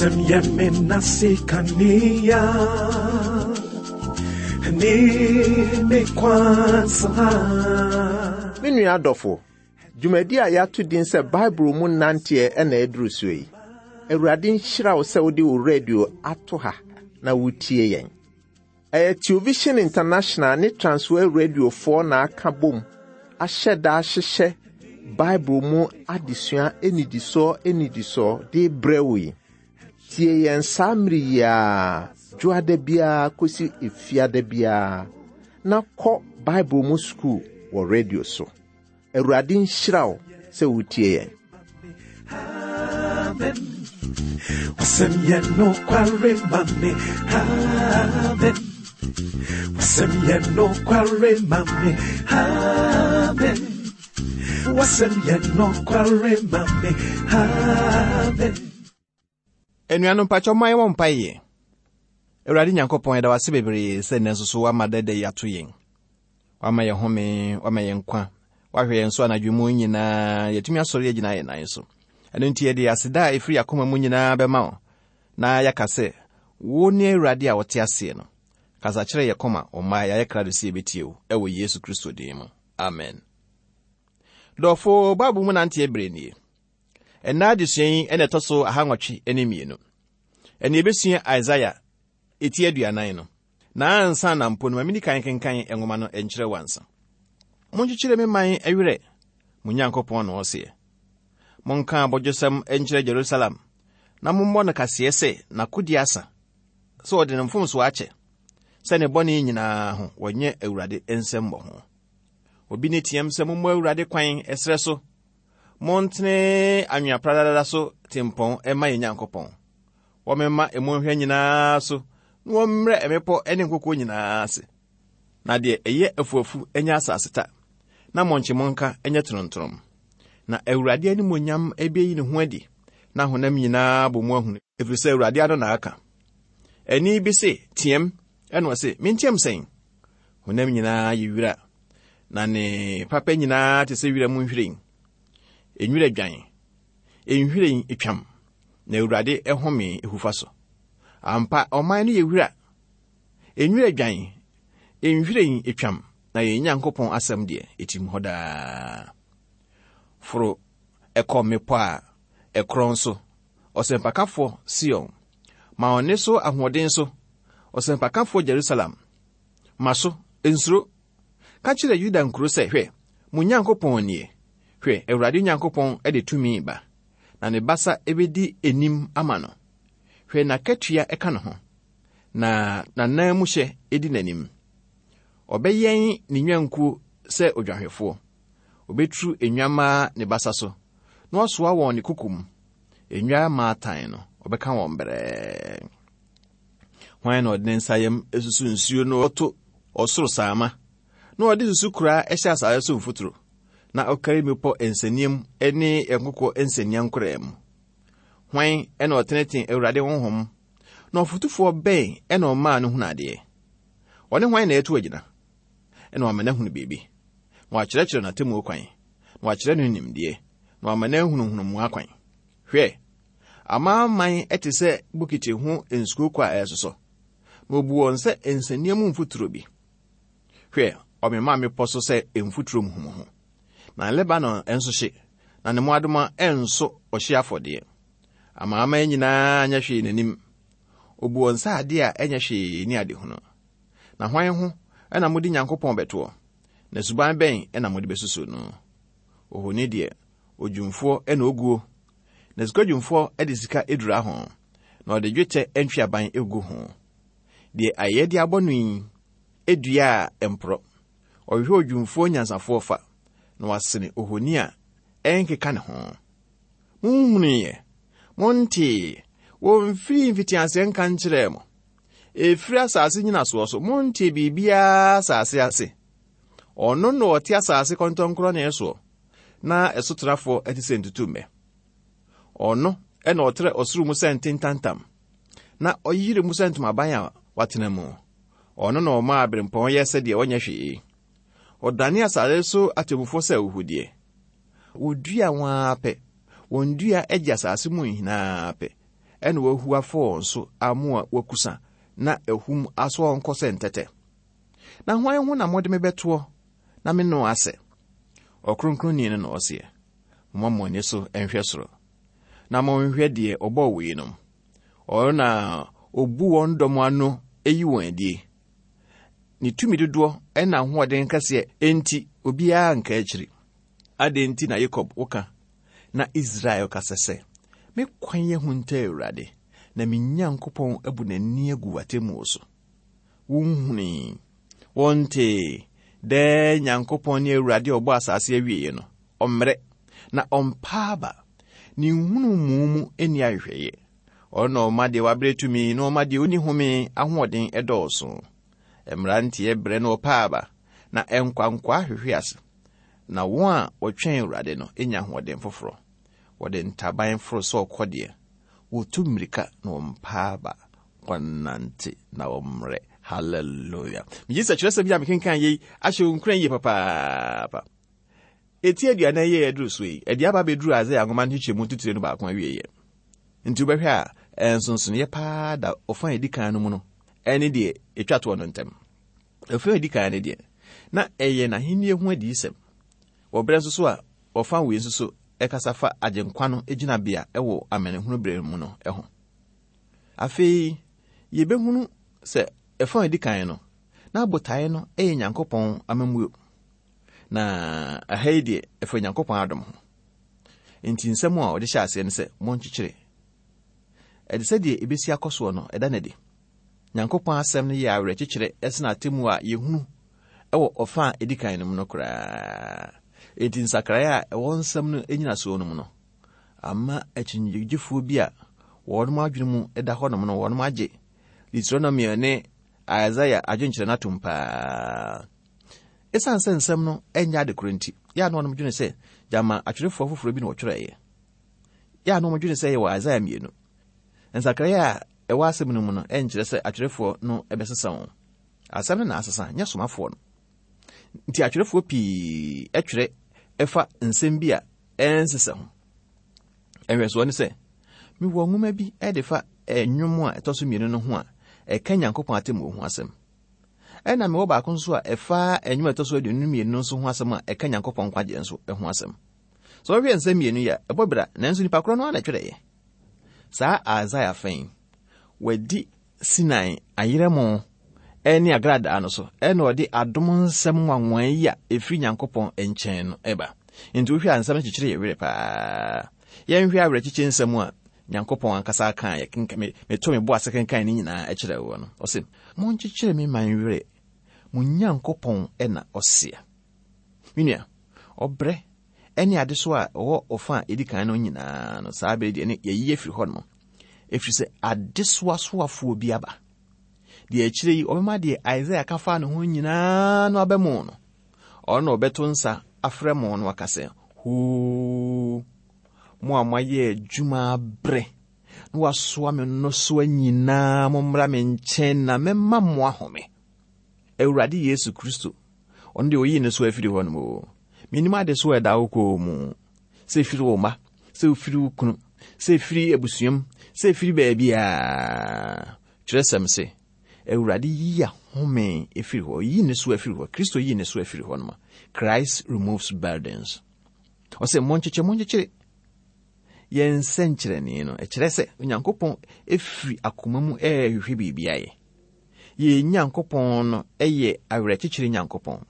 Wasɛm yɛ me nase kanea ne me kwan saa. Me nua adɔfo, dwumadi a yɛato din sɛ Bible mu nanteɛ na aduru so yi. Awurade nhyira wo sɛ wode wo radio ato ha na wotie yɛn. Ɛyɛ Television International ne Transworld Radiofoɔ na aka bom ahyɛ da ahyehyɛ Bible mu adesua nnidisoɔ nnidisoɔ de brɛ wo yi. Tie yɛn saa mmere yi ara, dwoada biara kɔsi efiada biara, na kɔ Bible mu sukuu wɔ radio so. Awurade nhyira wo sɛ wotie yɛn. Amen. Wasɛm yɛ nokware ma me. Amen. Wasɛm yɛ nokware ma me. Amen. Wasɛm yɛ nokware ma me. Amen. Anuanom mpakyɛw ma yɛmmɔ mpaeɛ. Awurade Nyankopɔn, yɛda wo ase bebree sɛ nnɛ nso so woama dɛdɛ yi ato yɛn. Woama yɛn home, woama yɛn nkwa, woahwɛ yɛn so anadwo mu nyinaa, yɛatumi asɔre agyina yɛn nan so. Ɛno nti yɛde aseda a ɛfiri akoma mu nyinaa bɛma wo, na yɛaka sɛ, wo ne Awurade a ɔte aseɛ no. Kasa kyerɛ yɛn koma, wo mma yɛayɛ krado sɛ yɛbɛtie wo, ɛwɔ Yesu Kristo din mu. Amen. Dɔfo, Bible mu nanteɛ berɛ nie. Ɛnnɛ adesua yi na ɛtɔ so ahanwɔtwe ne mmienu. Ɛnna yɛbɛsua Isaia eti 40 no. Na ansa na mpo no, ma menni kan kenkan nwoma no nkyerɛ wo ansa. Monkyekyere me man werɛ, mo Nyankopɔn na ɔseɛ. Monka abodwosɛm nkyerɛ Jerusalem, na mommɔ no kaseɛ sɛ n'akodie asa, sɛ ɔde ne mfomsoɔ akyɛ, sɛ ne bɔne nyinaa ho wɔnyɛ Awurade nsɛmmɔ ho. Obi ne team sɛ mommɔ Awurade kwan ɛserɛ so, Montene anwea pradada so tempɔn mma yɛn Nyankopɔn. Wɔmema mmonhwa nyinaa so na wɔmmrɛ mmepɔ ne nkokoɔ nyinaa ase. Na deɛ ɛyɛ afuafu nyɛ asase ta, na mmonkyemonka nyɛ torontorom. Na Awurade animuonyam bɛyi ne ho adi, na honam nyinaa bɔ mu ahunu, ɛfiri sɛ Awurade ano na aka. Ɛnne bi se, Team, ɛna ɔse, Menteam sɛn? Honam nyinaa yɛ wira, na ne papa nyinaa te sɛ wira mu nhwiren. Nwira dwan, nhwiren twam, na Awurade home hu fa so. Ampa, ɔman no yɛ wira. Nwira dwan, nhwiren twam, na yɛn Nyankopɔn asɛm deɛ, ɛtim hɔ daa. Foro kɔ mmepɔ a ɛkorɔn so, ɔsɛmpakafoɔ Sion. Ma wo nne so ahoɔden so, ɔsɛmpakafoɔ Jerusalem. Ma so, nsuro. Ka kyerɛ Yuda nkuro sɛ, 'Hwɛ, mo Nyankopɔn nie! Hwɛ, Awurade Nyankopɔn de tumi reba, na ne basa bɛdi anim ama no. Hwɛ, n'akatua ka ne ho, na n'ananmuhyɛ di n'anim. Ɔbɛyɛn ne nnwankuo sɛ odwanhwɛfoɔ. Ɔbɛturu nnwammaa ne basa so, na wasoa wɔn ne koko mu. Nnwammaatan no, ɔbɛka wɔn brɛɛ. Hwan na ɔde ne nsa yam susu nsuo na ɔto ɔsoro saama, na ɔde susukoraa hyɛ asase so mfuturo, na ɔkari mmepɔ nsania mu ne nkokoɔ nsania nkoraa mu? Hwan na ɔtenetene Awurade honhom, na ɔfotufoɔ bɛn na ɔmaa no hunu adeɛ? Ɔne hwan na ɛto agyina, na wama no ahunu biribi, na wakyerɛkyerɛ no atemmuo kwan, na wakyerɛ no nimdeɛ, na wama no ahunu nhunumu akwan? Hwɛ! Amanaman te sɛ bokiti ho nsukooko a ɛresosɔ, na obu wɔn sɛ nsania mu mfuturo bi. Hwɛ, ɔmema mmepɔ so sɛ mfuturo muhumuhu, na Lebanon nso hye, na ne mmoadoma nso ɔhye afɔdeɛ. Amanaman nyinaa nyɛ hwee n'anim. Obu wɔn sɛ adeɛ a ɛnyɛ hwee ne adehunu. Na hwan ho na mode Nyankopɔn bɛtoɔ? Na suban bɛn na mode bɛsusu no? Ohoni deɛ, odwumfoɔ na oguo, Na sikadwumfoɔ de sika dura ho, na ɔde dwetɛ ntweaban gu ho. Deɛ ayɛyɛdeɛ abɔ no yi dua a ɛmporɔ. Ɔhwehwɛ odwumfoɔ nyansafoɔ fa, na wasene ohoni a ɛnkeka ne ho. Monhunuiɛ, monteeɛ, wɔmfirii mfitiaseɛ nka nkyerɛɛ mo. Ɛfiri asase nnyinasoɔ so, montee biribiara asase ase. Ɔno na ɔte asase kɔntɔnkrɔnee soɔ. na ɛsotrafoɔ te sɛ ntutummɛ. Ɔno na ɔtrɛ ɔsoro mu sɛ ntentantam, na ɔyere mu sɛ ntomaban a watena mu. Ɔno na ɔma aberempɔn yɛ sɛdeɛ ɔnyɛ hwee. Ɔdane asase so atemmufoɔ sɛ ahuhudeɛ. Wɔdua wɔn ara pɛ, wɔn dua gye asase mu nhina ara pɛ. ɛna wahu afa wɔn so amoa wakusa na ahum aso wɔn kɔ sɛ ntɛtɛ? Na hwan ho na mode me bɛtoɔ na me no asɛ? Ɔkronkronni no na ɔseɛ. Momma mo ani so nhwɛ soro, na monhwɛ deɛ ɔbɔɔ weinom. Ɔno na ɔbu wɔn dɔm ano yi wɔn adie. Ne tumi dodoɔ na ahoɔden kɛseɛ enti obiara nka akyiri. Adɛn nti na Yakob woka na Israel kasa sɛ, Me kwan yɛ hunta Awurade, na me Nyankopɔn abu n'ani agu w'atemmuo so? Wonhunui, wontee, dɛ Nyankopɔn ne Awurade a ɔbɔ asase awieeɛ no, ɔmmerɛ, na ɔmpa aba. Ne nhunumu mu nni ahwehwɛeɛ. Ɔno na ɔma deɛ wabrɛ tumi na ɔma deɛ ɔnni home ahoɔden dɔɔso. Mmeranteɛ brɛ na wɔpa aba, na nkwankwaa hwehwe ase. Na wɔn a wɔtwɛn Awurade no nya ahoɔden foforɔ. Wɔde ntaban foro sɛ ɔkɔdeɛ, wɔtu mmirika na wɔmpa aba, wɔnante na wɔmmrɛ. Hallelujah. Megye sɛ kyerɛsɛm yi a mekenkan yei ahyɛ wo nkuran yie papaapa. Eti 40 yi a yɛaduru so yi, ɛde aba abɛduru Isaiah nwoma no nkyekyɛmu titire no baako awieeɛ. Nti wobɛhwɛ a, nsonsonoeɛ paa da ɔfa a ɛdi kan no mu no ne deɛ ɛtwa toɔ no ntam. Ɔfa a ɛdi kan no deɛ, na ɛyɛ n'ahennie ho adiyisɛm. Wɔ berɛ nso so a ɔfa wei nso so ɛkasa fa Agyenkwa no gyinabea wɔ amanehunu berɛ mu no ho. Afei, yɛbɛhunu sɛ ɛfa a ɛdi kan no, na botaeɛ no yɛ Nyankopɔn amammuo. Na ɛha yi deɛ, ɛfa Onyankopɔn adom ho. Enti nsɛm a ɔde hyɛ aseɛ ne sɛ, monkyekyere. Ɛde sɛ deɛ ɛbɛsi akɔ soɔ no, ɛda no adi. Nyankopɔn asɛm no yɛ awerɛkyekyerɛ ɛsene atemmuo a yɛhunu wɔ ɔfa a ɛdi kan no mu no koraa. Enti nsakraeɛ a ɛwɔ nsɛm no nnyinasoɔ no mu no, ama akyinnyegyefoɔ bi a wɔn adwene mu da hɔnom no wɔn agye Deuteronomio ne Isaiah adwenkyerɛ no atom paa. Esiane sɛ nsɛm no nyɛ ade koro nti, yɛ a na wɔn dwene sɛ gyama atwerɛfoɔ foforɔ bi na wɔtwerɛeɛ. Yɛ a na wɔn dwene sɛ yɛwɔ Isaiah mmienu. Nsakraeɛ a ɛwɔ asɛm no mu no nkyerɛ sɛ atwerɛfoɔ no bɛsesa wɔn. Asɛm no na asesa, nyɛ somafoɔ no. Nti atwerɛfoɔ pii twerɛ ɛfa nsɛm bi a ɛnsesa ho. Nhwɛsoɔ ne sɛ, mewɔ nwoma bi de fa nnwom a ɛtɔ so mmienu no ho a ɛka Nyankopɔn atemmuo ho asɛm. Ɛna mewɔ baako nso a ɛfa nnwom a ɛtɔ so 22 no nso ho asɛm a ɛka Nyankopɔn nkwagyeɛ nso ho asɛm. Sɛ wohwɛ nsɛm mmienu yi a, ɛbɔ bra, nanso nipa korɔ no ara na ɛtwerɛeɛ. Saa Isaiah fã yi, wadi Sinai ayerɛmo ne agradaa no so, ɛna ɔde adom nsɛm nwanwa yi a ɛfiri Nyankopɔn nkyɛn no ɛba. Nti wohwɛ a nsɛm no kyekyere yɛ werɛ paa. Yɛnhwɛ awerɛkyekye nsɛm a Nyankopɔn ankasa aka a meto me bo ase kenkan ne nyinaa kyerɛ woɔ no. Ɔse, Monkyekyere me man werɛ, mo Nyankopɔn na ɔseɛ. Me nua, ɔbrɛ ne adesoa a ɛwɔ ɔfa a ɛdi kan no nyinaa no, saa bere deɛ ne yɛyi afiri hɔ nom. Ɛfiri sɛ adesoasoafoɔ bi aba. Deɛ akyire yi ɔbɛma deɛ Isaiah ka faa ne ho nyinaa no aba mu no, ɔno na ɔbɛto nsa afrɛ mo no aka sɛ, Hoo, mo a moayɛ adwuma abrɛ na wasoa me nnosoa nyinaa, mommra me nkyɛn na mɛma mo ahome. Awurade Yesu Kristo, ɔno deɛ ɔyii ne so afiri hɔ nom o. Menim adesoa a ɛda wo kɔn mu, sɛ ɛfiri wo mma, sɛ ɛfiri wo kunu, sɛ ɛfiri abusuam, sɛ ɛfiri baabiara. Twerɛsɛm se, Awurade yi ahome ɛfiri hɔ, ɔyi ne so afiri hɔ, Kristo yi ne so afiri hɔ nom. Christ removes burdens. Ɔsɛ monkyekyere, monkyekyere yɛn nsɛnkyerɛnne no. Ɛkyerɛ sɛ Onyankopɔn ɛfiri akoma mu ɛrehwehwɛ biribi ayɛ. Yɛn Nyankopɔn no yɛ awerɛkyekyere Nyankopɔn.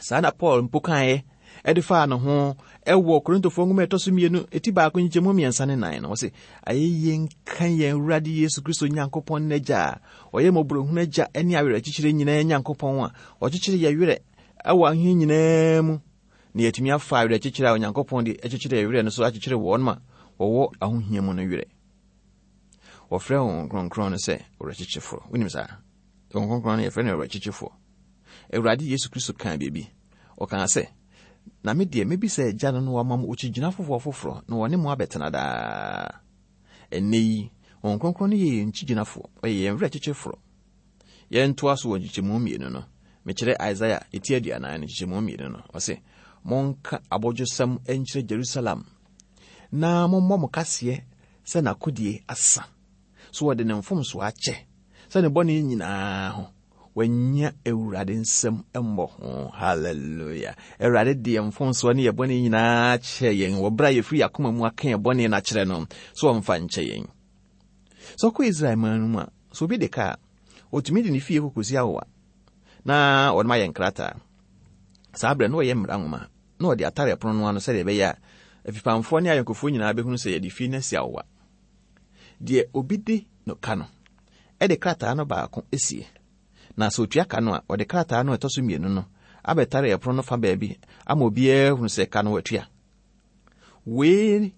Saa na Paul mpo kaeɛ ɛde faa ne ho ɛwɔ Korintofoɔ nwoma ɛtɔ so mmienu eti baako nkyɛmu mmiɛnsa ne nan no. Ɔse, ayɛyie nka yɛn Awurade Yesu Kristo Nyankopɔn n'Agya a ɔyɛ mmɔborɔhunu Agya ne awerɛkyekyerɛ nyinaa Nyankopɔn a ɔkyekyere yɛn werɛ ɛwɔ ahohia nyinaa mu na yɛatumi afa awerɛkyekyerɛ a Onyankopɔn de kyekyere yɛn werɛ no so akyekyere wɔn ma wɔwɔ ahohia mu no werɛ. Wɔfrɛ Honhom Kronkron no sɛ ɔwerɛkyekyefoɔ. Wonim saa? Honhom Kronkron no yɛfrɛ no ɔwerɛkyekyefoɔ. Awurade Yesu Kristo kaa biribi. Ɔkaa sɛ, Na me deɛ mɛbisa Agya no na wama mo okyigyinafoɔ foforɔ na ɔne mo abɛtena daa. Ɛnnɛ yi, Honhom Kronkron no yɛ yɛn kyigyinafoɔ, ɔyɛ yɛn werɛkyekyefoɔ. Yɛntoa so wɔ nkyekyɛmu mmienu no. Mekyerɛ Isaiah eti 40 no nkyekyɛmu mmienu no. Ɔse, Monka abodwosɛm nkyerɛ Jerusalem, na mommɔ mo kaseɛ. sɛ n'akodie asa, so wɔde ne mfomsoɔ akyɛ, sɛ ne bɔne nyinaa ho. Wanya Awurade nsam mmɔho. Hallelujah. Awurade de yɛn mfomsoɔ ne yɛn bɔne nyinaa kyɛ yɛn wɔ berɛ a yɛfiri yɛn akoma mu aka yɛn bɔne no akyerɛ no, so ɔmfa nkyɛ yɛn. Sɛ ɔkɔ Israel man no mu a, sɛ obi de ka a, ɔtumi de ne fie kɔkɔsi awowa na wɔde ma yɛ nkrataa. Saa berɛ no wɔyɛ mmara nwoma na wɔde atare ɛpono no ano sɛdeɛ ɛbɛyɛ a afipamfoɔ ne ayɔnkofoɔ nyinaa bɛhunu sɛ yɛde fie no asi awowa. Deɛ obi de no ka no, de krataa no baako sie, na sɛ ɔtua ka no a, ɔde krataa no a ɛtɔ so mmienu no abɛtare ɛpono no fa baabi ama obiara ahunu sɛ ka no watua. Wei ne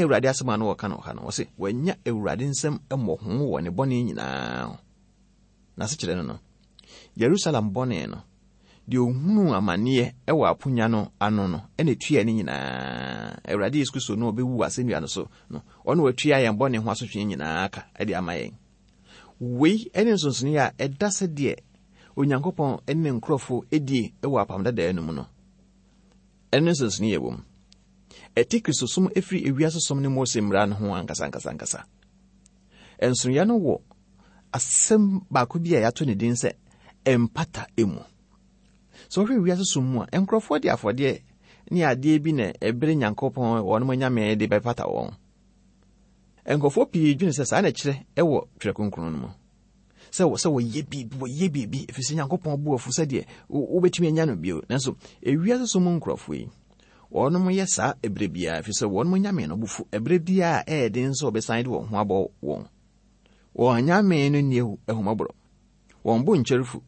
Awurade asɛm a na wɔka no ha no, wɔse wanya Awurade nsam mmɔho wɔ ne bɔne nyinaa ho. N'asekyerɛ no no, Yerusalem bɔne no, deɛ ɔhunuu amanneɛ wɔ aponya no ano no na ɛtuaa ne nyinaa. Awurade Yesu Kristo no ɔbɛwu wɔ asɛnnua no so no, ɔno watua yɛn bɔne ho asotwe nyinaa ka de ama yɛn. Wei ne nsonsonoeɛ a ɛda sɛdeɛ Onyankopɔn ne ne nkurɔfoɔ die wɔ apam dadaa no mu no. Ɛno ne nsonsonoeɛ wɔ mu. Ɛte Kristosom ɛfiri ewiase som ne Mose mmara no ho ankasa ankasa ankasa. Nsonoeɛ no wɔ asɛm baako bi a yɛato ne din sɛ mpata mu. Sɛ wohwɛ wiase som mu a, nkurɔfoɔ de afɔdeɛ ne adeɛ bi na ɛbere Nyankopɔn wɔn anyame de bɛpata wɔn. Nkurɔfoɔ pii dwene sɛ saa na ɛkyerɛ wɔ Twerɛ Kronkron no mu. Sɛ sɛ wɔyɛ biribi, wɔyɛ biribi, ɛfiri sɛ Nyankopɔn bo afu sɛdeɛ wobɛtumi anya no bio. Nanso ewiase som mu nkurɔfoɔ yi, wɔnom yɛ saa ɛberɛ biara, ɛfiri sɛ wɔnom nyame no bo fu ɛberɛ biara a ɛyɛ den sɛ wɔbɛsan de wɔn ho abɔ wɔn. Wɔn anyame no nni ahummɔborɔ. Wɔn bo nkyɛre fu.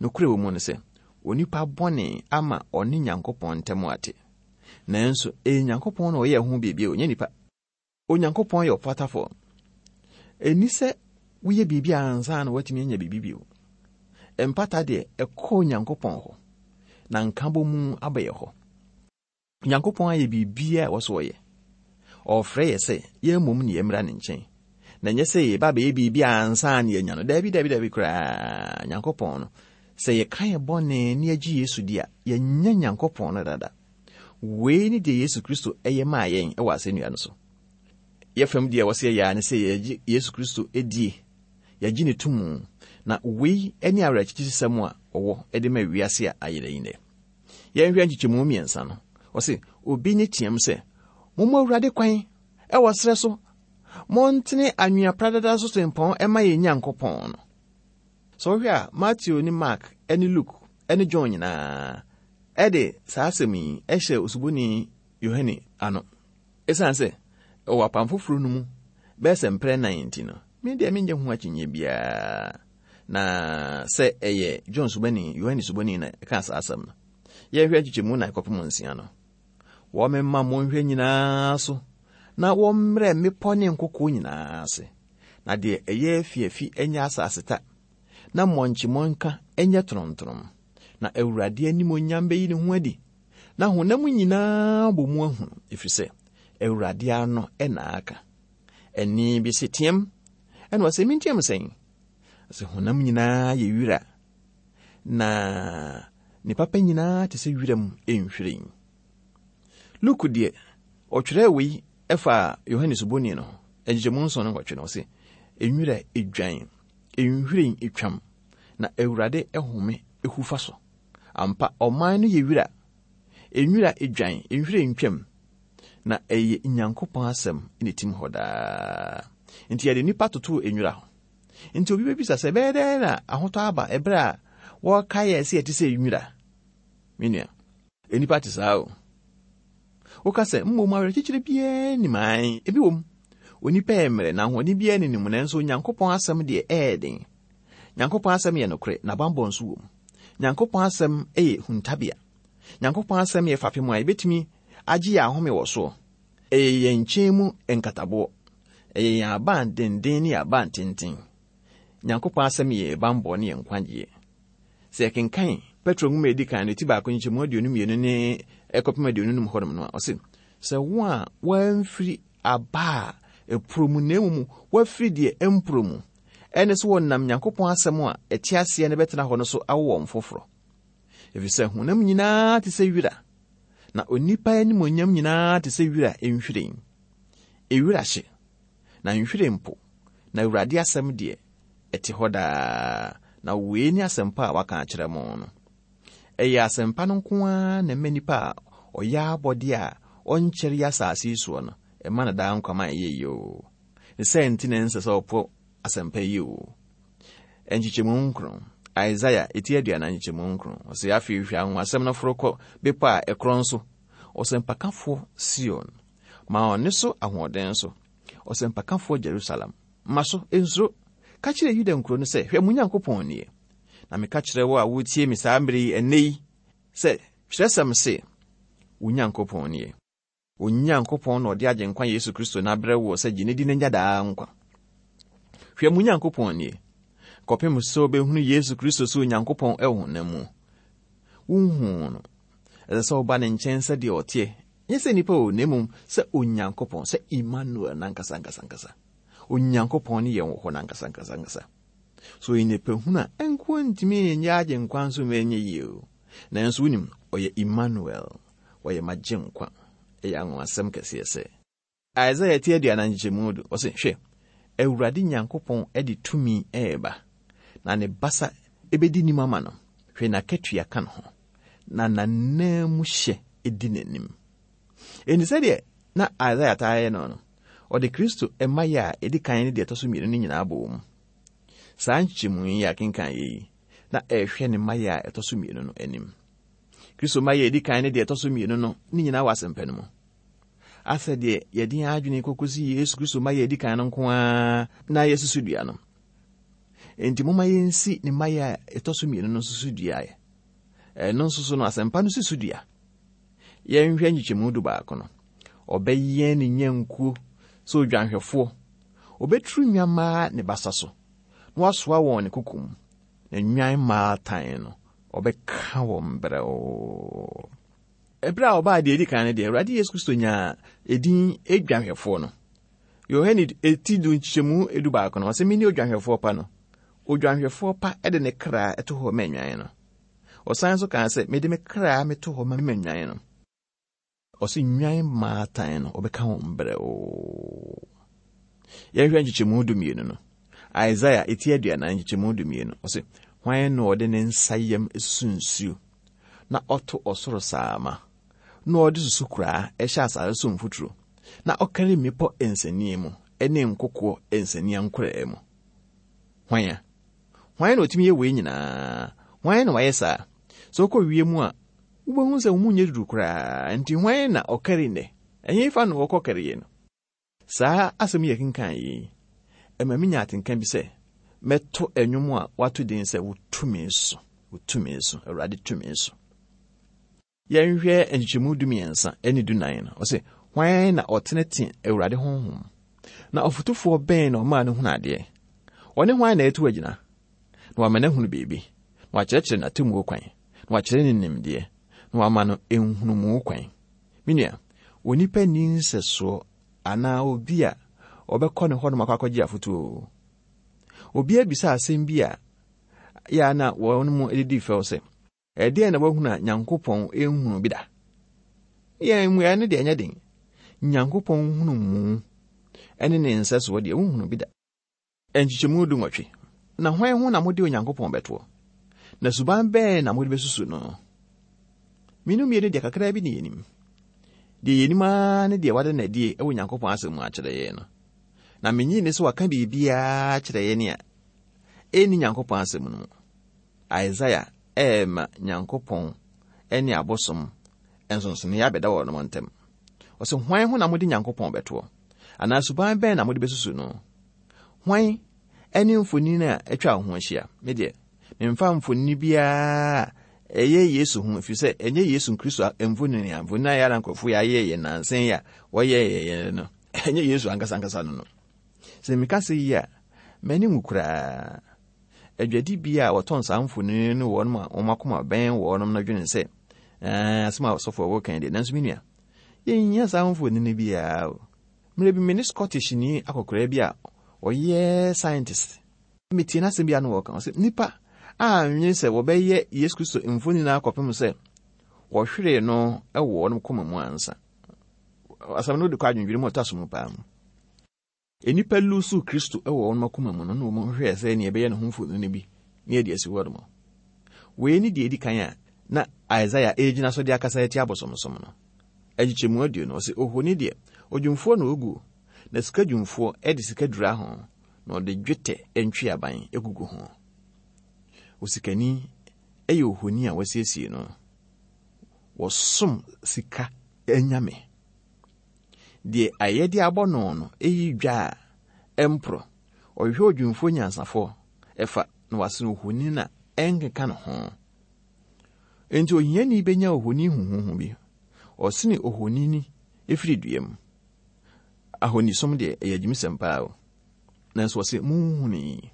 Nokorɛ wɔ mu ne sɛ, onipa bɔne ama ɔne Nyankopɔn ntam ate. Nanso, ɛyɛ Nyankopɔn na ɔyɛ ho biribi, ɔnyɛ nipa. Onyankopɔn yɛ ɔpatafoɔ. Ɛnni sɛ woyɛ biribi ansa na woatumi anya biribi bio. Mpata deɛ, ɛkɔ Onyankopɔn hɔ, na nkabɔmu abɛyɛ hɔ. Onyankopɔn ayɛ biribiara a ɛwɔ sɛ ɔyɛ. Ɔrefrɛ yɛ sɛ yɛn mmom ne yɛmmra ne nkyɛn. Na ɛnyɛ sɛ yɛba abɛyɛ biribi ansa na yɛanya no. Daabi, daabi, daabi koraa. Nyankopɔn no, sɛ yɛka yɛn bɔne na yɛgye Yesu di a, yɛanya Nyankopɔn no dada. Wei ne deɛ Yesu Kristo yɛ maa yɛn wɔ asɛnnua no so. Yɛ fam deɛ ɛwɔ sɛ yɛyɛ ara ne sɛ yɛgye Yesu Kristo die, yɛgye no to mu. Na wei ne awerɛkyekyesɛm a ɔwɔ de ma wiase a ayera yi nnɛ. Yɛnhwɛ nkyekyɛmu mmiɛnsa no. Ɔse, obi ne team sɛ, Mommɔ Awurade kwan wɔ serɛ so, montene anwea pradada so tempɔn ɛma yɛn Nyankopɔn no. Sɛ wohwɛ a, Mateo ne Mark ne Luke ne John nyinaa ɛde saa asɛm yi hyɛ Osuboni Yohane ano. Esiane sɛ ɛwɔ Apam Foforo no mu bɛyɛ sɛ mprɛ nan nti no, me deɛ menyɛ ho akyinnye biara. Na sɛ ɛyɛ John Subani, Yohane Subani na ɛkaa saa asɛm no. Yɛnhwɛ nkyekyɛmu nan kɔpem nsia no. Wɔmema monhwɛ nyinaa so, na wɔmmrɛ mmepɔ ne nkokoɔ nyinaa ase, na deɛ ɛyɛ afiafi nyɛ asase ta, na mmɔnkyemmɔnka nyɛ toromtorom, na Awurade animuonyam bɛyi ne ho adi, na honam nyinaa bɔ mu ahunu, ɛfiri sɛ Awurade ano na aka. Ɛnne bi se team, ɛna ɔsɛ menteam sɛn? Ɔsɛ honam nyinaa yɛ wira, na ne papa nyinaa te sɛ wiram nhwiren. Luke deɛ, ɔtwerɛɛ wei ɛfa Yohane Suboni no ho, nkyekyɛmu nson ne nwɔtwe no, ɔse, nwira edwan, nhwiren etwam, na Awurade home ehu fa so. Ampa, ɔman no yɛ wira, nwira edwan, nhwiren twam, na ɛyɛ Nyankopɔn asɛm na etim hɔ daa. Nti yɛde nnipa totoo nwira ho. Nti obi bɛbisa sɛ, ɛbɛyɛ dɛn na ahotɔ aba ɛberɛ a wɔreka yɛn sɛ yɛte sɛ nwira? Me nua, nnipa te saa o. Woka sɛ, mmom awerɛkyekyerɛ biara nnim ae, ebi wom. Onipa yɛ mmerɛ na ahoɔden biara nni ne mu, nanso Onyankopɔn asɛm deɛ ɛyɛ den. Nyankopɔn asɛm yɛ nokorɛ, na bammɔ nso wom. Nyankopɔn asɛm yɛ huntabea. Nyankopɔn asɛm yɛ fapem a yɛbɛtumi agye yɛn ahome wɔ soɔ. Ɛyɛ yɛn nkyɛn mu nkataboɔ. Ɛyɛ yɛn aban denden ne yɛn aban tenten. Nyankopɔn asɛm yɛ yɛn bammɔ ne yɛn nkwagyeɛ. Sɛ yɛkenkan Petro nwoma a ɛdi kan no ti baako nkyekyɛmu 22 ne ɛkɔpem 25 hɔnom no a, ɔse, Sɛ wo a woamfiri aba a ɛporɔ mu na mmom woafiri deɛ ɛmporɔ mu, ɛne sɛ wɔnam Nyankopɔn asɛm a ɛte aseɛ no bɛtena hɔ no so awo wɔn foforɔ. Ɛfiri sɛ honam nyinaa te sɛ wira, na onipa animuonyam nyinaa te sɛ wira nhwiren. Ewira hye, na nhwiren mpo, na Awurade asɛm deɛ, ɛte hɔ daa. Na wei ne asɛmpa a wɔaka akyerɛ mo no. Ɛyɛ asɛmpa no nko ara na ɛma nipa a ɔyɛ abɔdeɛ a ɔnkyɛre yi asase yi soɔ no, ɛma no daa nkwa ma ɛyɛ yie o. Ne saa nti na ɛnsɛ sɛ ɔpo asɛmpa yi o. Nkyekyɛmu nkron, Isaiah eti 40 nkyekyɛmu 9, ɔse, Afei hwɛ anwonwasɛm no foro kɔ bepɔ a ɛkorɔn so, ɔsɛmpakafoɔ Sion, ma ɔne so ahoɔden so, ɔsɛmpakafoɔ Jerusalem, ma so, nsuro. Ka kyerɛ Yuda nkuro no sɛ, Hwɛ, mo Nyankopɔn nie. Na meka kyerɛ wo a woretie me saa mmerɛ yi ɛnnɛ yi sɛ, twerɛsɛm se, Wo Nyankopɔn nie. Onyankopɔn na ɔde Agyenkwa Yesu Kristo no abrɛ woɔ sɛ gye no di na nya daa nkwa. Hwɛ, mo Nyankopɔn nie. Kɔpem sɛ wobɛhunu Yesu Kristo sɛ Onyankopɔn wɔ honam mu. Wonhuu no. Ɛsɛ sɛ woba ne nkyɛn sɛdeɛ ɔteɛ, nyɛ sɛ nnipa o, na mmom sɛ Onyankopɔn, sɛ Emmanuel n'ankasa ankasa ankasa. Onyankopɔn ne yɛn wɔ hɔ n'ankasa ankasa ankasa. So ɔyɛ nipahunu a ɛnko ntumi nyɛ Agyenkwa nso ma ɛnyɛ yie o. Nanso wonim, ɔyɛ Emmanuel. Wɔyɛ m'agyenkwa. Ɛyɛ anwanwasɛm kɛseɛ sɛ. Isaiah ti 40 nkyekyɛmu du, ɔse, Hwɛ, Awurade Nyankopɔn de tumi reba, na ne basa bɛdi nim ama no. Hwɛ, n'akatua ka ne ho, na n'ananmu hyɛ di n'anim. Enti sɛdeɛ na Isaiah taa yɛ no no, ɔde Kristo mmaeɛ a ɛdi kan ne deɛ ɛtɔ so mmienu no nyinaa bɔɔ mu. Saa nkyekyɛmu yi a yɛakenkan yɛ yi, na ɛrehwɛ ne mmaeɛ a ɛtɔ so mmienu no anim. Kristo mmaeɛ a ɛdi kan ne deɛ ɛtɔ so mmienu no ne nyinaa wɔ asɛmpa no mu. Asɛ deɛ yɛde yɛn adwene kɔkɔsi Yesu Kristo mmaeɛ a ɛdi kan no nko ara na yɛsusu dua no. Enti momma yɛnsi ne mmaeɛ a ɛtɔ so mmienu no nso so dua. Ɛno nso so no, asɛmpa no si so dua. Yɛnhwɛ nkyekyɛmu 11 no. Ɔbɛyɛn ne nnwankuo sɛ odwanhwɛfoɔ. Ɔbɛturu nnwammaa ne basa so, na wasoa wɔn ne koko mu, na nnwan mmaatan no, ɔbɛka wɔn brɛoo. Ɛberɛ a ɔbaa deɛ ɛdi kan no deɛ, Awurade Yesu Kristo nyaa edin odwanhwɛfoɔ no. Yohane ti du nkyekyɛmu 11 no, ɔsɛ mene odwanhwɛfoɔ pa no. Odwanhwɛfoɔ pa de ne kra to hɔ ma nnwan no. Ɔsan nso kaa sɛ, mede me kra meto hɔ ma nnwan no. Ɔse nnwan mmaatan no, ɔbɛka wɔn brɛoo. Yɛnhwɛ nkyekyɛmu 12 no. Isaiah eti 40 nkyekyɛmu 12. Ɔse, hwan na ɔde ne nsa yam susu nsuo, na ɔto ɔsoro saama, na ɔde susu koraa ɛhyɛ asase so mfuturo, na ɔkari mmepɔ nsania mu ne nkokoɔ nsania nkoraa mu? Hwan a? Hwan na ɔtumi yɛ wei nyinaa? Hwan na wayɛ saa? Sɛ wokɔ wiem a, wobɛhu sɛ wɔn mu nyɛ duru koraa. Nti hwan na ɔkari nnɛ? Ɛhefa na wɔkɔ kariɛ no? Saa asɛm yi yɛkenkan yi, ɛma minya atenka bi sɛ mɛto nnwom a wɔato din sɛ Wo Tumi So, Wo Tumi So, Awurade Tumi So. Yɛnhwɛ nkyekyɛmu 13 ne 14 no. Ɔse, Hwan na ɔtenetene Awurade honhom? Na ɔfotufoɔ bɛn na ɔmaa no hunu adeɛ? Ɔne hwan na ɛtu agyina? Na wama no ahunu biribi, na wakyerɛkyerɛ n'atemmuo kwan, na wakyerɛ no nimdeɛ, na wama no nhunumu kwan. Me nua, onipa nni nsɛsoɔ anaa obi a ɔbɛkɔ ne hɔnom akɔ akɔgye afotuo o. Obi abisa asɛm bi a yɛ a na wɔn mu didi fɛw sɛ, ɛdeɛn na wahunu a Nyankopɔn nhunu bi da? Yɛn mmuaeɛ no deɛ ɛnyɛ den. Nyankopɔn hunu mu ne ne nsɛsoɔ deɛ wonhunu bi da. Nkyekyɛmu 18. Na hwan ho na mode Onyankopɔn bɛtoɔ? Na suban bɛn na mode bɛsusu no? Menu mmienu deɛ kakraa bi ne yɛnim. Deɛ yɛnim ara ne deɛ wada no adie wɔ Onyankopɔn asɛm mu akyerɛ yɛn no. Na menyi ne sɛ waka biribiara kyerɛ yɛn a ɛnni Nyankopɔn asɛm no mu. Isaiah ɛrema Nyankopɔn ne abosom nsonsonoeɛ abɛda wɔn ntam. Ɔsɛ hwan ho na mode Nyankopɔn bɛtoɔ? Anaa suban bɛn na mode bɛsusu no? Hwan ne mfonini a atwa wo ho ahyia? Me deɛ, memfa mfonini biara a ɛyɛ Yesu ho, ɛfiri sɛ ɛnyɛ Yesu Kristo mfonini a mfonini a yɛara nkurɔfoɔ yɛ ayɛ yɛ nansa yi a wɔyɛ yɛ no, ɛnyɛ Yesu ankasa ankasa no no. Sɛ meka sɛ yi a, m'ani nwu koraa. Adwadibea a wɔtɔn saa mfonini no wɔnom a wɔn akoma bɛn wɔnom no dwene sɛ, asɛm a ɔsɔfo a wɔka deɛ, nanso me nua, yɛnhia saa mfonini biara o. Mmerɛ bi me ne Scottishni akɔkoraa bi a ɔyɛ scientist, metie n'asɛm bi a na wɔka, ɔsɛ nnipa a nwene sɛ wɔbɛyɛ Yesu Kristo mfonini akɔpem sɛ wɔhweree no wɔ wɔn koma mu ansa. Asɛm no de kɔ adwendwene mu ɔtɔ asom paa mu. Nnipa luusuu Kristo wɔ wɔn akoma mu no na wɔn hwɛɛ sɛ nea ɛbɛyɛ ne ho mfonini bi na yɛde asi hɔ nom. Wei ne deɛ edi kan a na Isaiah regyina so de akasa atia abosomsom no. Nkyekyɛmu aduonu, ɔse, Ohoni deɛ, odwumfoɔ na oguo, na sika dwumfoɔ de sika dura ho, na ɔde dwetɛ ntweaban gugu ho. Osikani yɛ ohoni a wasiesie no. Wɔsom sika anyame. Deɛ ayɛde abɔ no no yi dwa a ɛmporɔ. Ɔhwehwɛ odwumfoɔ nyansafoɔ ɛfa na wasene ohoni no a ɛnkeka ne ho. Enti ohiani bɛnya ohoni huhuhu bi. Ɔsene ohoni firi dua mu. Ahonisom deɛ ɛyɛ agyimisɛm paa o. Nanso ɔse monhunii,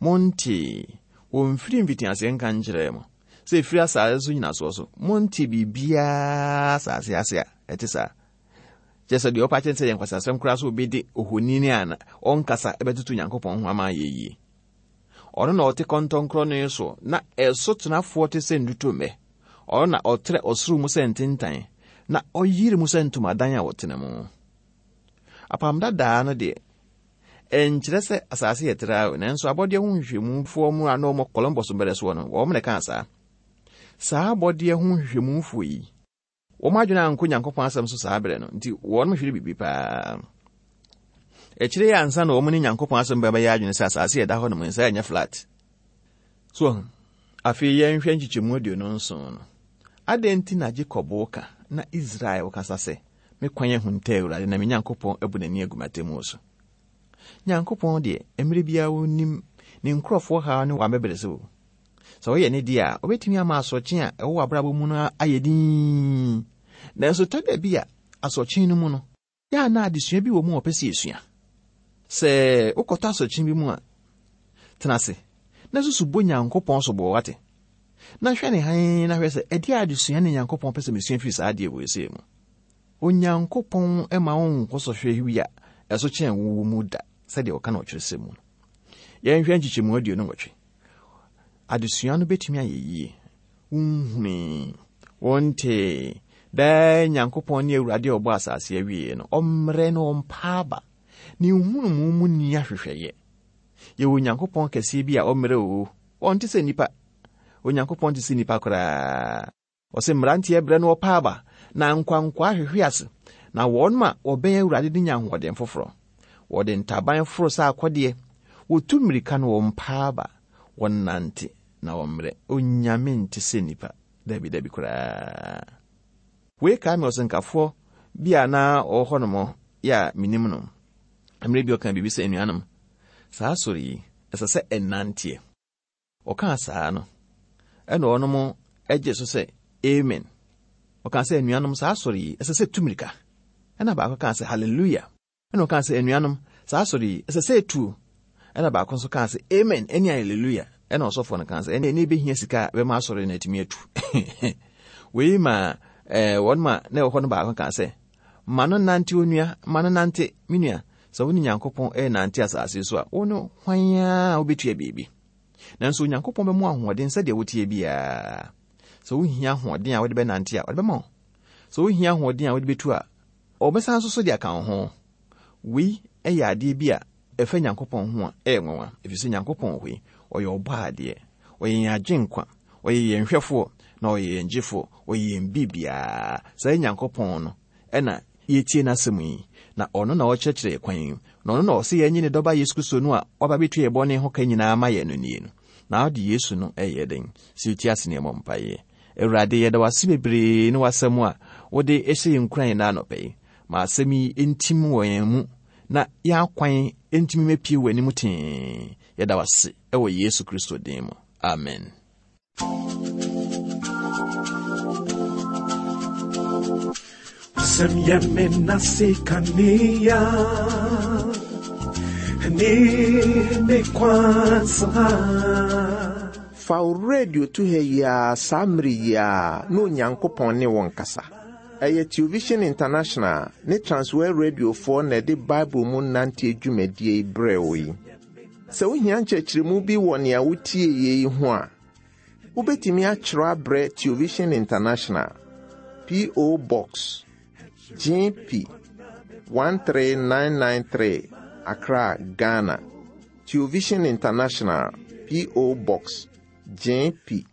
montee, wɔmfiri mfitiaseɛ nka nkyerɛɛ mo sɛ ɛfiri asase so nyinasoɔ so monte biribiara asase ase a ɛte saa. Kyerɛ sɛ deɛ ɔpa kyɛn sɛ yɛ nkwasasɛm koraa sɛ obi de ohoni ne a ɔnkasa ɛbɛtoto Nyankopɔn ho ama ayɛ yie. Ɔno na ɔte kɔntɔnkrɔn soɔ na ɛso tenafoɔ te sɛ ntutummɛ. Ɔno na ɔtrɛ ɔsoro mu sɛ ntentan na ɔyere mu sɛ ntomadan a wɔtena mu. Apam dadaa no deɛ, ɛnkyerɛ sɛ asase yɛ traa o, nanso abɔdeɛ ho nhwehwɛmufoɔ mu a na wɔwɔ Columbus berɛ soɔ no, wɔn na ɛkaa saa. Saa abɔdeɛ ho nhwehwɛmufoɔ yi, wɔn adwene ankɔ Nyankopɔn asɛm so saa berɛ no, nti wɔn hwere biribi paa. Akyire yi ansa na wɔn ne Nyankopɔn asɛm bɛyɛ adwene sɛ asase yɛ da hɔ nom nsa ɛnyɛ flat. So afei yɛnhwɛ nkyekyɛmu 27 no. Adɛn nti na Jacob ka na Israel kasa sɛ, Me kwan ahunta Awurade na me Nyankopɔn abu n'ani agu m'atemmuo so? Nyankopɔn deɛ, mmerɛ biara ɔnim ne nkurɔfoɔ haw ne wɔn abɛbrɛsɛ o. Sɛ woyɛ ne deɛ a, ɔbɛtumi ama asorɔkye a ɛwɔ w'abrabɔ mu no ayɛ dinn. Nanso tɔ da bi a, asorɔkye no mu no, yɛ a na adesua bi wɔ mu a ɔpɛ sɛ yɛsua. Sɛ wokɔtɔ asorɔkye bi mu a, tena ase na susu bɔ Nyankopɔn soboɔ, wate? Na hwɛ ne hann na hwɛ sɛ ɛdeɛ adesua ne Nyankopɔn pɛ sɛ mesua firi saa adeɛ wei sei mu. Onyankopɔn ma wo nkɔ sɔhwɛ wi a ɛso kyɛn wo mu da sɛdeɛ ɔka no ɔtwerɛsɛm mu no. Yɛnhwɛ nkyekyɛmu 28. Adesua no bɛtumi ayɛ yie. Wonhunui, wontee, daa Nyankopɔn ne Awurade a ɔbɔ asase awieɛ no, ɔmmerɛ no ɔmpa aba. Ne nhunumu mu nni ahwehwɛeɛ. Yɛwɔ Onyankopɔn kɛseɛ bi a ɔmmerɛ oo, ɔnte sɛ nnipa. Onyankopɔn te sɛ nnipa koraa. Ɔse mmeranteɛ berɛ no ɔpa aba, na nkwankwaa hwehwe ase, na wɔn a wɔbɛn Awurade no nya ahoɔden foforɔ. Wɔde ntaban foro sɛ akɔdeɛ, wɔtu mmirika no wɔmpa aba, wɔnante na wɔmmerɛ. Onyame nte sɛ nnipa, dabi dabi koraa. Wei kae me ɔsɛnkafoɔ bi a na ɔwɔ hɔ nom yɛ a menim no. Mmerɛ bi ɔkaa biribi sɛ, anuanom, saa asɔre yi, ɛsɛ sɛ ɛnanteɛ. Ɔkaa saa no, ɛna ɔnom gye so sɛ, Amen. Ɔkaa sɛ, anuanom, saa asɔre yi, ɛsɛ sɛ ɛtu mmirika. Ɛna baako kaa sɛ, Hallelujah. Ɛna ɔkaa sɛ, anuanom, saa asɔre yi, ɛsɛ sɛ ɛtuo. Ɛna baako nso kaa sɛ, Amen, ɛne hallelujah. Ɛna ɔsɔfoɔ no kaa sɛ, ɛne ɛne ɛbɛhia sika a bɛma asɔre no atumi atu. Wei ma eh, wɔn ma na ɛwɔ hɔ no baako kaa sɛ, ma no nante onua, ma no nante, me nua, sɛ wo ne Nyankopɔn ɛrenante asase so a, wo ne hwan a wobɛtua biribi? Nanso Onyankopɔn bɛma ahoɔden sɛdeɛ woteɛ biara. Sɛ wohia ahoɔden a wode bɛnante a, ɔde bɛma wo. Sɛ wohia ahoɔden a wode bɛtu a, ɔbɛsan nso so de aka wo ho. Wei yɛ adeɛ bi a ɛfa Nyankopɔn ho a ɛyɛ nwanwa, ɛfiri sɛ Nyankopɔn wɔ hɔ yi, ɔyɛ ɔbɔ adeɛ, ɔyɛ yɛn agyenkwa, ɔyɛ yɛn hwɛfoɔ, na ɔyɛ yɛn gyefoɔ, ɔyɛ yɛn biribiara. Saa Nyankopɔn no ɛna yɛtie n'asɛm yi, na ɔno na ɔkyerɛkyerɛ yɛn kwan yi, na ɔno na ɔsɛ yɛnye ne dɔba Yesu Kristo no a waba bɛtua yɛn bɔne ho ka nyinaa ma yɛn no nie no. Na ɔde Yesu no ɛyɛ dɛn? Sɛ yɛtie ase na yɛmmɔ mpaeɛ. Awurade, yɛda wo ase bebree ne w'asɛm a wode hyɛ yɛn nkuran nnɛ anɔpa yi. Ma asɛm yi ntim wɔ yɛn mu na yɛn akwan ntumi mmepue w'anim tee. Yɛda wo ase wɔ Yesu Kristo din mu. Amen. Sɛm yɛ me nase kanea ne me kwan saa. Fa wo radio to ha yi ara saa mmere yi ara na Onyankopɔn ne wo nkasa. Ɛyɛ Television International ne Transworld Radiofoɔ na ɛde Bible mu nanteɛ dwumadie yi brɛɛ wo yi. Sɛ wohia nkyerɛkyerɛmu bi wɔ nea wotie yi ho a, wobɛtumi akyerɛ abrɛ Television International, P.O. Box, GP 13993, Accra, Ghana. Television International, P.O. Box, JP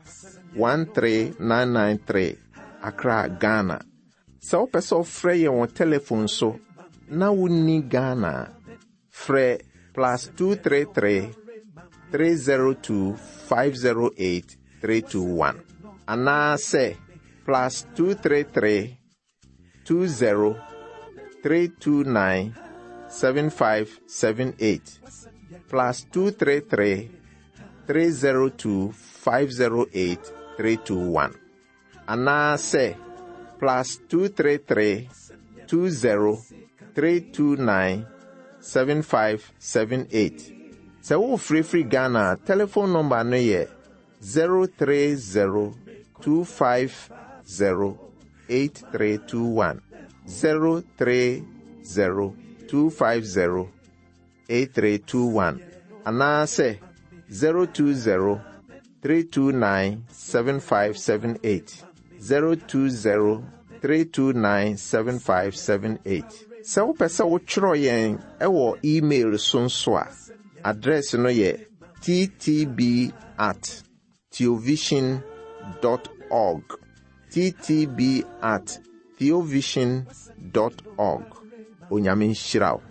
13993, Accra, Ghana. Sɛ wopɛ sɛ wofrɛ yɛn wɔ telefon so na wonni Ghana a, frɛ plus 233 302 508 321 anaasɛ plus 233 20 329 7578 plus 233 302 508 321 anaasɛ plus 233 20 329 7578. Sɛ wofirifiri Ghana a, telephone number no yɛ 030 250 8321. 030 250 8321 anaasɛ 020 329 7578. 020 329 7578. Sɛ wopɛ sɛ wotwerɛ yɛn ɛwɔ email so nso a, address no yɛ ttb at theovision dot org. ttb at theovision dot org. Onyame nhyira wo.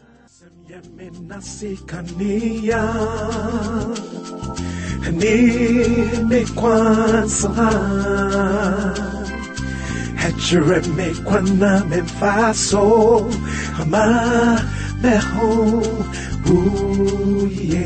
Ama meho uye.